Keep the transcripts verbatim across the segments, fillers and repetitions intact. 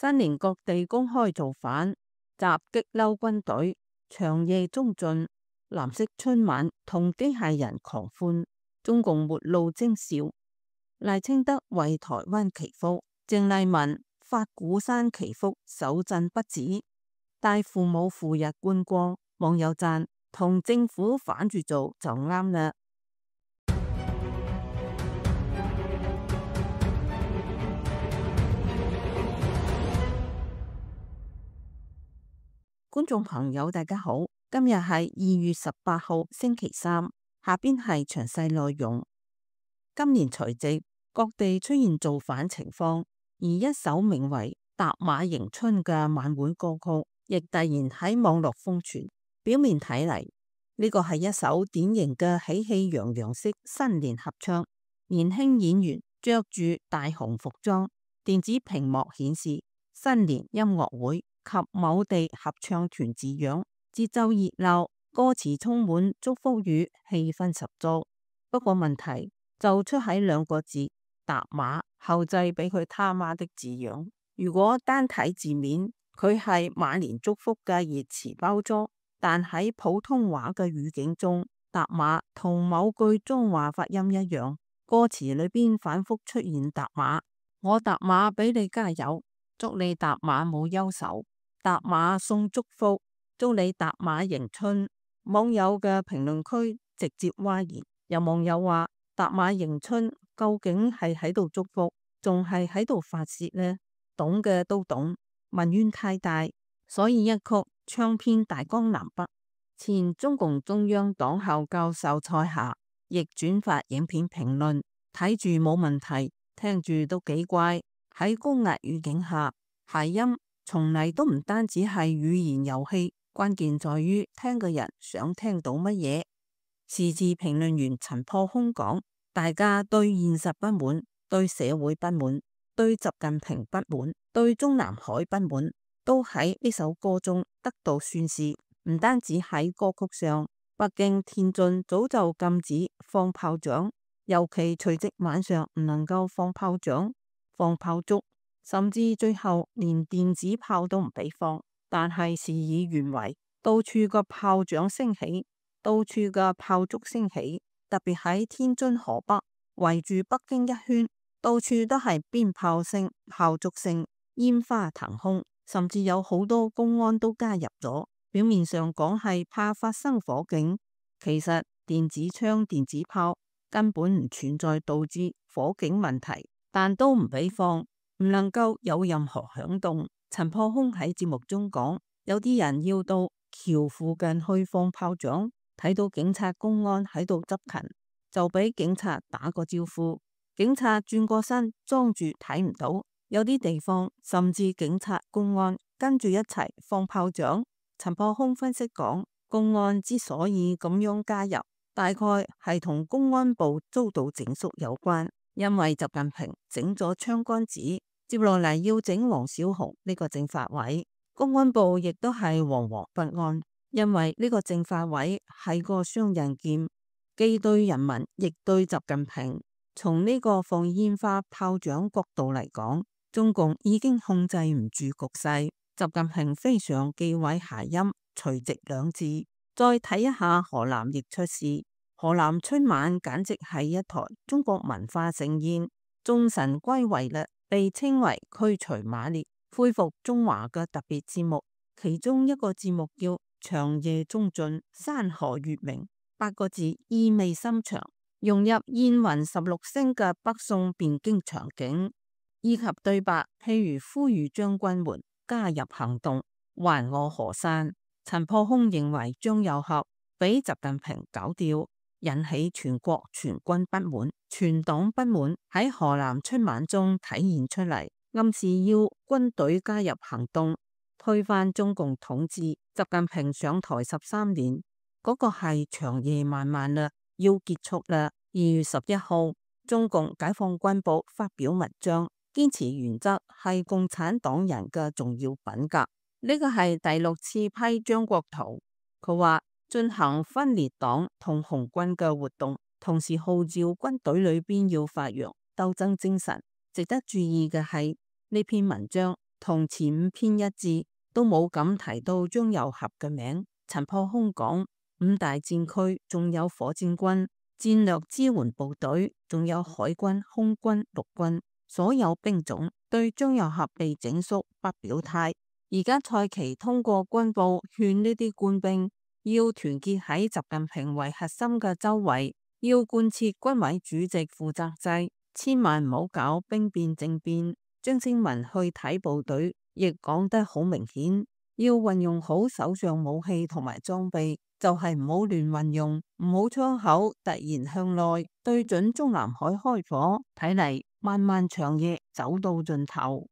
新年各地公開造反，襲擊嬲軍隊，長夜中進，藍色春晚同機械人狂歡，中共末路徵兆。賴清德為台灣祈福，鄭麗文發鼓山祈福手震不止，帶父母赴日觀光，網友讚同政府反住做就啱啦。觀眾朋友大家好，今日係二月十八號星期三，下邊係詳細內容。今年除夕各地出現造反情況，而一首名為《踏馬迎春》嘅晚會歌曲亦突然喺網絡瘋傳。表面睇嚟，呢個係一首典型嘅喜氣洋洋式新年合唱，年輕演員着住大紅服裝，電子屏幕顯示新年音樂會及某地合唱團字樣，節奏熱鬧，歌詞充滿祝福語，氣氛十足。不過問題就出喺兩個字踏馬後製俾佢他媽的字樣。如果單睇字面，佢係馬年祝福嘅熱詞包裝，但喺普通話嘅語境中，踏馬同某句中華發音一樣，歌詞裏邊反覆出現踏馬，我踏馬俾你加油，祝你踏馬冇憂愁。踏馬送祝福，祝你踏馬迎春。網友嘅評論區直接譁然，有網友話踏馬迎春究竟係喺度祝福，仲係喺度發洩呢？懂嘅都懂，民怨太大，所以一曲唱遍大江南北。前中共中央黨校教授蔡霞亦轉發影片評論，睇住冇問題，聽住都幾怪。喺高壓語境下，諧音從嚟都唔單止係語言遊戲，關鍵在於聽嘅人想聽到乜嘢。時事評論員陳破空講，大家對現實不滿，對社會不滿，對習近平不滿，對中南海不滿，都喺呢首歌中得到宣示。唔單止喺歌曲上，北京、天津早就禁止放炮仗，尤其除夕晚上唔能夠放炮仗、放炮竹，甚至最後連電子炮都唔俾放。但係事與願違，到處嘅炮仗升起，到處嘅炮竹升起，特別喺天津河北圍住北京一圈，到處都係鞭炮聲、炮竹聲、煙花騰空，甚至有好多公安都加入咗。表面上講係怕發生火警，其實電子槍、電子炮根本唔存在導致火警問題，但都唔俾放，唔能夠有任何響動。陳破空喺節目中講，有啲人要到橋附近去放炮仗，睇到警察公安喺度執勤，就俾警察打個招呼，警察轉過身裝住睇唔到。有啲地方甚至警察公安跟住一齊放炮仗。陳破空分析講，公安之所以咁樣加入，大概係同公安部遭到整肅有關，因為習近平整咗槍桿子，接落嚟要整王小洪呢個政法委，公安部亦都係惶惶不安，因為呢個政法委係個雙刃劍，既對人民亦對習近平。從呢個放煙花炮仗角度嚟講，中共已經控制唔住局勢。習近平非常忌諱諧音除夕兩字。再睇一下河南亦出事，河南春晚簡直係一台中國文化盛宴，眾神歸位嘞，被稱為驅除馬列、恢復中華嘅特別節目。其中一個節目叫長夜中進，山河月明，八個字意味深長，融入燕雲十六聲嘅北宋汴京場景以及對白，譬如呼籲將軍們加入行動，還我河山。陳破空認為張又俠俾習近平搞掉，引起全國全軍不滿、全黨不滿，喺河南春晚中體現出嚟，暗示要軍隊加入行動，推翻中共統治。習近平上台十三年，嗰、那個係長夜漫漫啦，要結束啦。二月十一號，中共解放軍部發表文章，堅持原則係共產黨人嘅重要品格。呢個係第六次批張國燾，佢話進行分裂黨同紅軍嘅活動，同時號召軍隊裏邊要發揚鬥爭精神。值得注意嘅係呢篇文章同前五篇一致，都冇咁提到張又俠嘅名。陳破空講五大戰區仲有火箭軍、戰略支援部隊，仲有海軍、空軍、陸軍，所有兵種對張又俠被整肅不表態。而家蔡奇通過軍報勸呢啲官兵要團結喺習近平為核心嘅周圍，要貫徹軍委主席負責制，千萬唔好搞兵變政變。張青文去睇部隊，亦講得好明顯，要運用好手上武器同埋裝備，就係唔好亂運用，唔好窗口突然向內對準中南海開火。睇嚟漫漫長夜走到盡頭。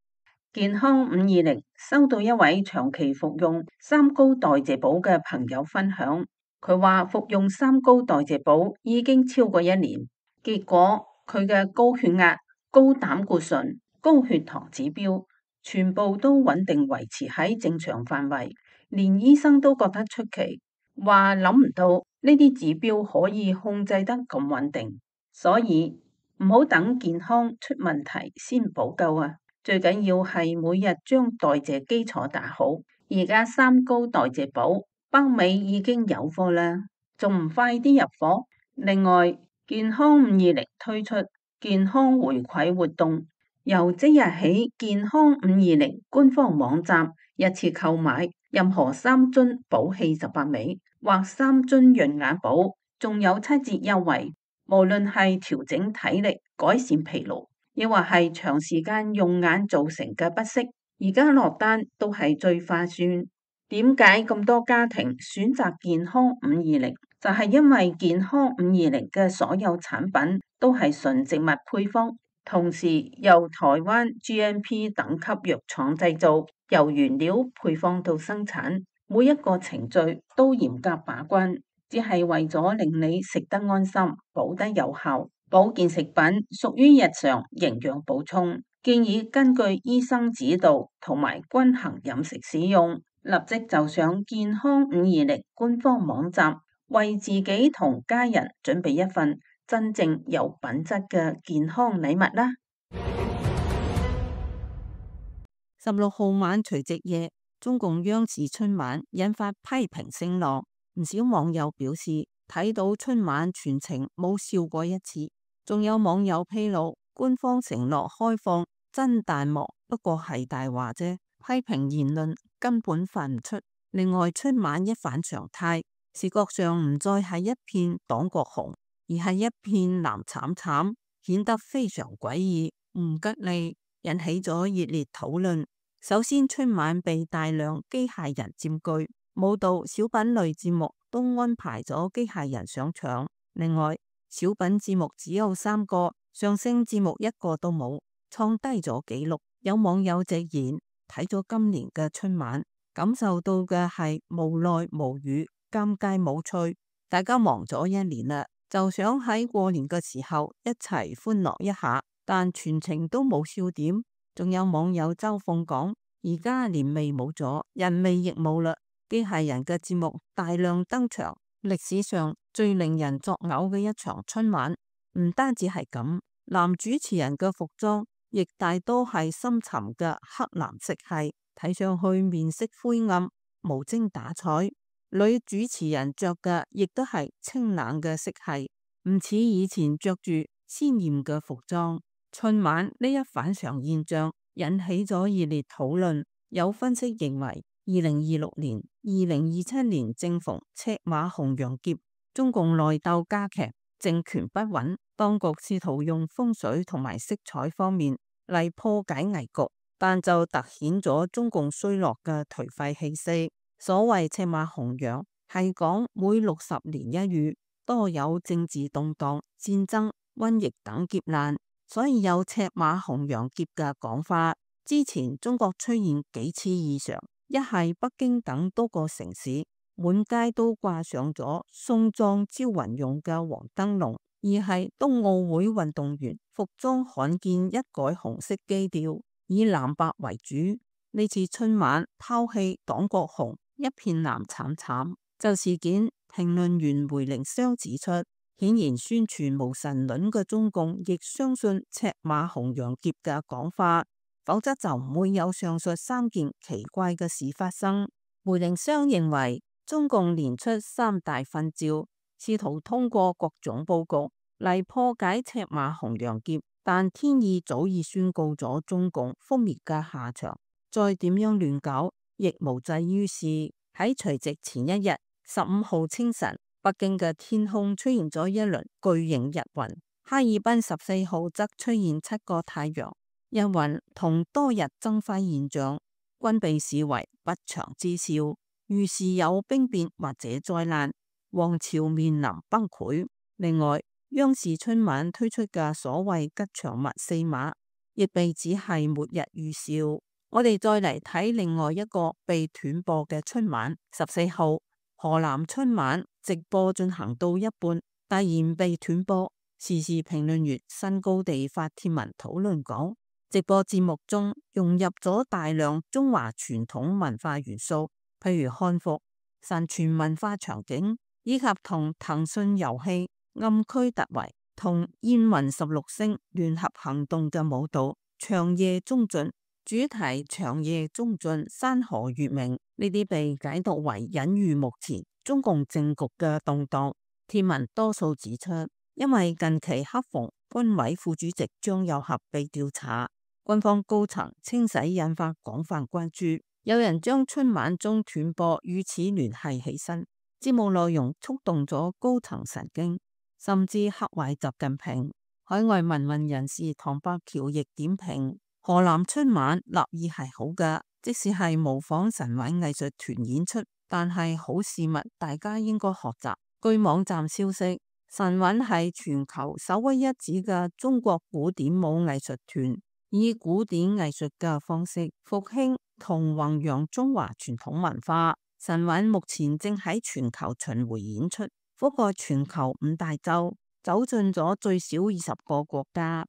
健康五二零收到一位長期服用三高代謝寶嘅朋友分享，佢話服用三高代謝寶已經超過一年，結果佢嘅高血壓、高膽固醇、高血糖指標全部都穩定維持喺正常範圍，連醫生都覺得出奇，話諗唔到呢啲指標可以控制得咁穩定，所以唔好等健康出問題先補救啊！最緊要係每日將代謝基礎打好。而家三高代謝寶北美已經有貨啦，仲唔快啲入貨？另外，健康五二零推出健康回饋活動，由即日起，健康五二零官方網站一次購買任何三樽寶氣十八味或三樽潤眼寶，仲有七折優惠。無論係調整體力、改善疲勞，亦或係長時間用眼造成嘅不適，而家落單都係最划算。點解咁多家庭選擇健康五二零？就係因為健康五二零嘅所有產品都係純植物配方，同時由台灣 G M P 等級藥廠製造，由原料配方到生產，每一個程序都嚴格把關，只係為咗令你食得安心、補得有效。保健食品屬於日常營養補充，建議根據醫生指導同埋均衡飲食使用。立即就上健康五二零官方網站，為自己同家人準備一份真正有品質嘅健康禮物啦！十六號晚除夕夜，中共央視春晚引發批評聲浪，唔少網友表示睇到春晚全程冇笑過一次。仲有網友披露，官方承諾開放真彈幕，不過係大話啫，批評言論根本發唔出。另外，春晚一反常態，視覺上唔再係一片黨國紅，而係一片藍慘慘，顯得非常詭異，唔吉利，引起咗熱烈討論。首先，春晚被大量機械人佔據，舞蹈、小品類節目都安排咗機械人上場。另外，小品節目只有三個，相聲節目一個都冇，創低咗紀錄。有網友直言，睇咗今年嘅春晚，感受到嘅係無奈無語、尷尬無趣。大家忙咗一年啦，就想喺過年嘅時候一齊歡樂一下，但全程都冇笑點。仲有網友周鳳講，而家年味冇咗，人味亦冇啦，機械人嘅節目大量登場。歷史上最令人作嘔嘅一場春晚，唔單止係咁，男主持人嘅服裝亦大多係深沉嘅黑藍色系，睇上去面色灰暗、無精打采。女主持人着嘅亦都係清冷嘅色系，唔似以前着住鮮艷嘅服裝。春晚呢一反常現象引起咗熱烈討論，有分析認為，二零二六年、二零二七年正逢赤馬紅羊劫，中共內鬥加劇，政權不穩，當局試圖用風水同埋色彩方面嚟破解危局，但就凸顯咗中共衰落嘅頹廢氣息。所謂赤馬紅羊，係講每六十年一遇，多有政治動盪、戰爭、瘟疫等劫難，所以有赤馬紅羊劫嘅講法。之前中國出現幾次異常，一係北京等多個城市滿街都掛上咗送葬招魂用嘅黃燈籠，二係冬奧會運動員服裝罕見一改紅色基調，以藍白為主。呢次春晚拋棄黨國紅，一片藍慘慘。就事件，評論員梅靈湘指出，顯然宣傳無神論嘅中共亦相信赤馬紅羊劫嘅講法，否則就唔會有上述三件奇怪嘅事發生。梅靈湘認為，中共連出三大訓召，試圖通過各種佈局嚟破解赤馬紅羊劫，但天意早已宣告咗中共覆滅嘅下場，再點樣亂搞亦無濟於事。喺除夕前一日，十五號清晨，北京嘅天空出現咗一輪巨型日雲，哈爾濱十四號則出現七個太陽。日雲同多日增輝現象，均被視為不祥之兆，預示有兵變或者災難，王朝面臨崩潰。另外，央視春晚推出嘅所謂吉祥物四馬，亦被指係末日預兆。我哋再嚟睇另外一個被斷播嘅春晚，十四號河南春晚直播進行到一半，突然被斷播。時事評論員新高地發帖文討論講，直播節目中融入咗大量中華傳統文化元素，譬如漢服、神傳文化場景，以及同騰訊遊戲暗區突圍同燕雲十六聲聯合行動嘅舞蹈《長夜中盡》，主題《長夜中盡，山河月明》，呢啲被解讀為隱喻目前中共政局嘅動盪。帖文多數指出，因為近期恰逢軍委副主席張又俠被調查，軍方高層清洗引發廣泛關注。有人將春晚中斷播與此聯繫起身，節目內容觸動咗高層神經，甚至嚇壞習近平。海外民運人士唐伯橋亦點評，河南春晚立意係好㗎，即使係模仿神韻藝術團演出，但係好事物大家應該學習。據網站消息，神韻係全球首屈一指嘅中國古典舞藝術團，以古典藝術嘅方式復興同弘揚中華傳統文化。神韻目前正喺全球巡迴演出，覆蓋全球五大洲，走進咗最少二十個國家。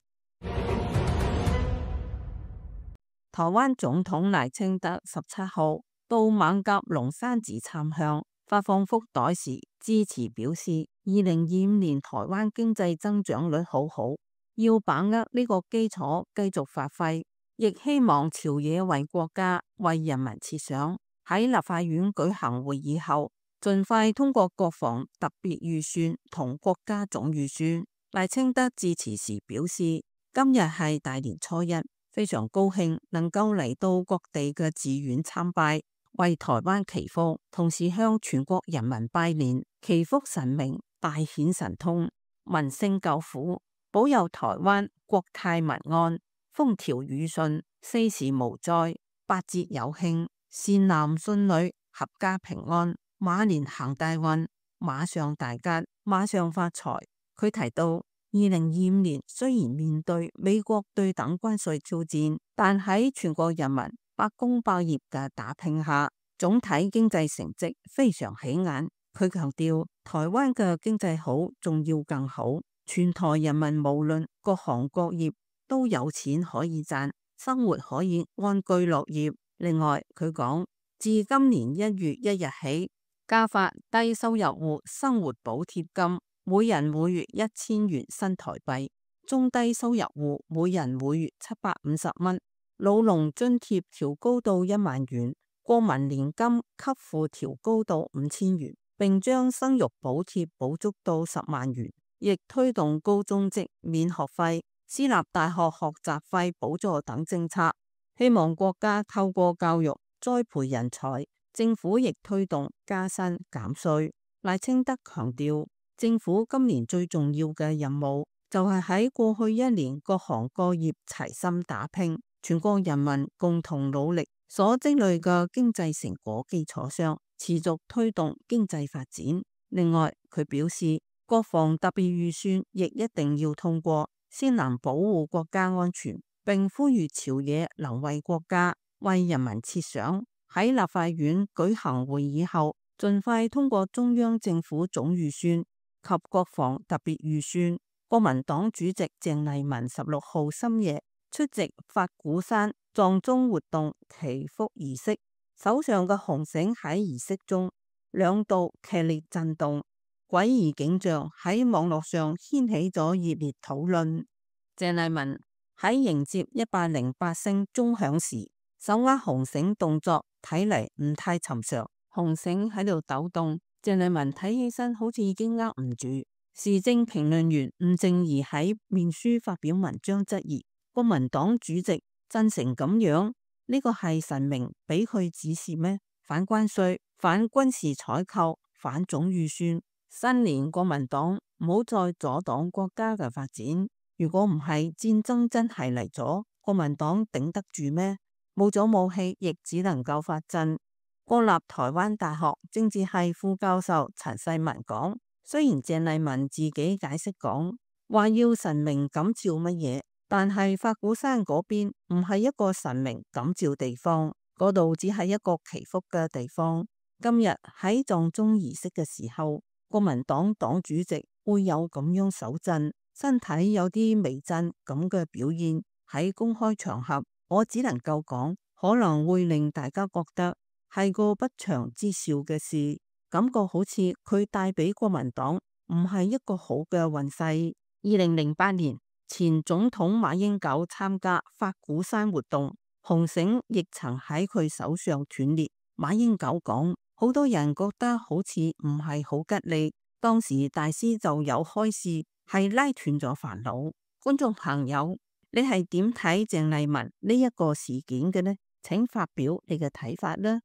台灣總統賴清德十七號到艋舺龍山寺參香，發放福袋時致辭表示，二零二五年台灣經濟增長率好好，要把握呢個基礎繼續發揮，亦希望朝野為國家為人民設想。喺立法院舉行會議後，盡快通過國防特別預算同國家總預算。賴清德致辭時表示，今日係大年初一，非常高興能夠嚟到各地嘅寺院參拜，為台灣祈福，同時向全國人民拜年，祈福神明大顯神通，民星救苦，保佑台灣國泰民安，風調雨順，四時無災，八節有慶，善男信女，合家平安，馬年行大運，馬上大吉，馬上發財。佢提到，二零二五年雖然面對美國對等關稅挑戰，但喺全國人民百工百業嘅打拼下，總體經濟成績非常起眼。佢強調，台灣嘅經濟好，仲要更好，全台人民無論各行各業都有錢可以賺，生活可以安居樂業。另外，佢講，自今年一月一日起，加發低收入戶生活補貼金，每人每月一千元新台幣；中低收入戶每人每月七百五十蚊；老農津貼調高到一萬元；國民年金給付調高到五千元，並將生育補貼補足到十萬元，亦推動高中職免學費、私立大學學習費補助等政策。希望國家透過教育栽培人才，政府亦推動加薪減稅。賴清德強調，政府今年最重要嘅任務就係喺過去一年各行各業齊心打拼，全國人民共同努力所積累嘅經濟成果基礎上，持續推動經濟發展。另外，佢表示，國防特別預算亦一定要通過，先能保護國家安全。並呼籲朝野能為國家、為人民設想，喺立法院舉行會議後，盡快通過中央政府總預算及國防特別預算。國民黨主席鄭麗文十六號深夜出席法鼓山藏宗活動祈福儀式，手上嘅紅繩喺儀式中兩度劇烈震動，詭異景象喺網絡上掀起咗熱烈討論。鄭麗文喺迎接一百零八聲鐘響時，手握紅繩動作睇嚟唔太尋常，紅繩喺度抖動。鄭麗文睇起身好似已經握唔住。時政評論員吳正儀喺面書發表文章質疑國民黨主席震成咁樣，呢個係神明俾佢指示咩？反關稅、反軍事採購、反總預算，新年國民黨唔好再阻擋國家嘅發展。如果唔係戰爭真係嚟咗，國民黨頂得住咩？冇咗武器，亦只能夠發震。國立台灣大學政治系副教授陳世文講，雖然鄭麗文自己解釋講話要神明感召乜嘢，但係法鼓山嗰邊唔係一個神明感召地方，嗰度只係一個祈福嘅地方。今日喺葬鐘儀式嘅時候，國民黨黨主席會有咁樣手震，身體有啲微震咁嘅表現，喺公開場合，我只能夠講可能會令大家覺得係個不祥之兆嘅事，感覺好似佢帶俾國民黨唔係一個好嘅運勢。二零零八年前總統馬英九參加法鼓山活動，紅繩亦曾喺佢手上斷裂。馬英九講，好多人覺得好似唔係好吉利，當時大師就有開示係拉斷咗煩惱。觀眾朋友，你係點睇鄭麗文呢一個事件嘅呢？請發表你嘅睇法啦。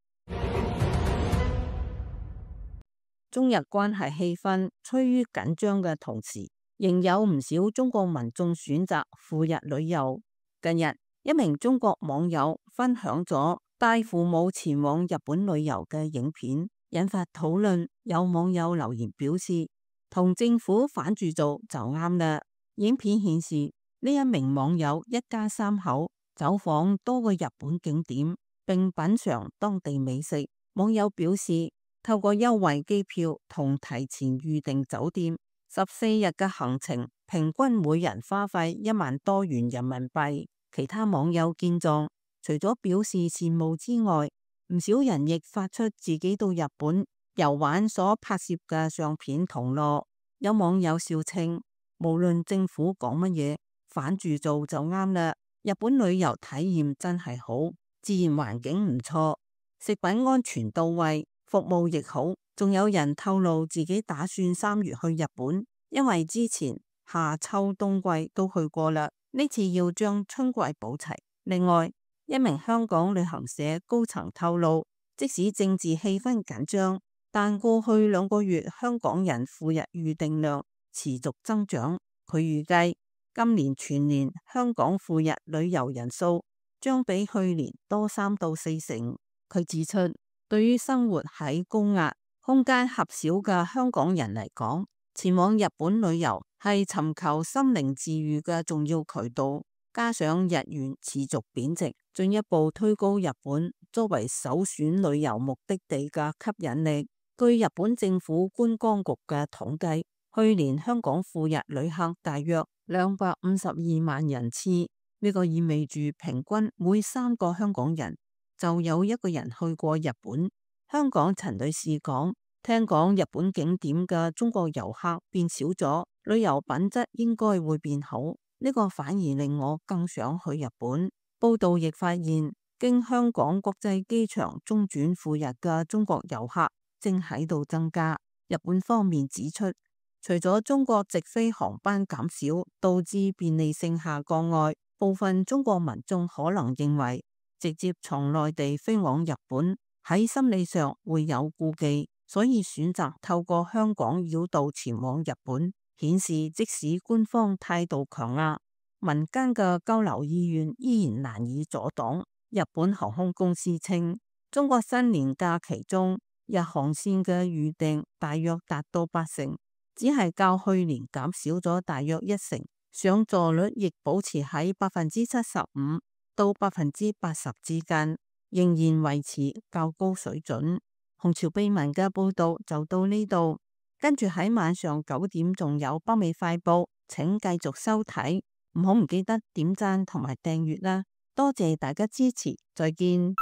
中日關係氣氛趨於緊張嘅同時，仍有唔少中國民眾選擇赴日旅遊。近日，一名中國網友分享咗帶父母前往日本旅遊嘅影片，引發討論。有網友留言表示，同政府反住做就啱啦。影片顯示呢一名網友一家三口走訪多個日本景點，並品嘗當地美食。網友表示，透過優惠機票同提前預訂酒店，十四日嘅行程平均每人花費一萬多元人民幣。其他網友見狀，除咗表示羨慕之外，唔少人亦發出自己到日本遊玩所拍攝嘅相片同樂。有網友笑稱，無論政府講乜嘢，反住做就啱啦。日本旅遊體驗真係好，自然環境唔錯，食品安全到位，服務亦好。仲有人透露自己打算三月去日本，因為之前夏秋冬季都去過啦，呢次要將春季補齊。另外，一名香港旅行社高層透露，即使政治氣氛緊張，但過去兩個月香港人赴日預訂量持續增長。佢預計今年全年香港赴日旅遊人數將比去年多三到四成。佢指出，對於生活喺高壓、空間狹小嘅香港人嚟講，前往日本旅遊係尋求心靈治癒嘅重要渠道。加上日元持續貶值，進一步推高日本作為首選旅遊目的地嘅吸引力。據日本政府觀光局嘅統計，去年香港赴日旅客大約兩百五十二萬人次，呢個意味住平均每三個香港人就有一個人去過日本。香港陳女士講，聽講日本景點嘅中國遊客變少咗，旅遊品質應該會變好。呢個反而令我更想去日本。報道亦發現，經香港國際機場中轉赴日嘅中國遊客正喺度增加。日本方面指出，除咗中國直飛航班減少導致便利性下降外，部分中國民眾可能認為直接從內地飛往日本喺心理上會有顧忌，所以選擇透過香港繞道前往日本，顯示即使官方態度強硬，民間嘅交流意願依然難以阻擋。日本航空公司稱，中國新年假期中日航線嘅預訂大約達到八成，只係較去年減少咗大約一成，上座率亦保持喺百分之七十五到百分之八十之間，仍然維持較高水準。紅潮秘聞嘅報道就到呢度。跟住喺晚上九點仲有北美快報，請繼續收睇，唔好唔記得點讚同埋訂閱啦，多謝大家支持，再見。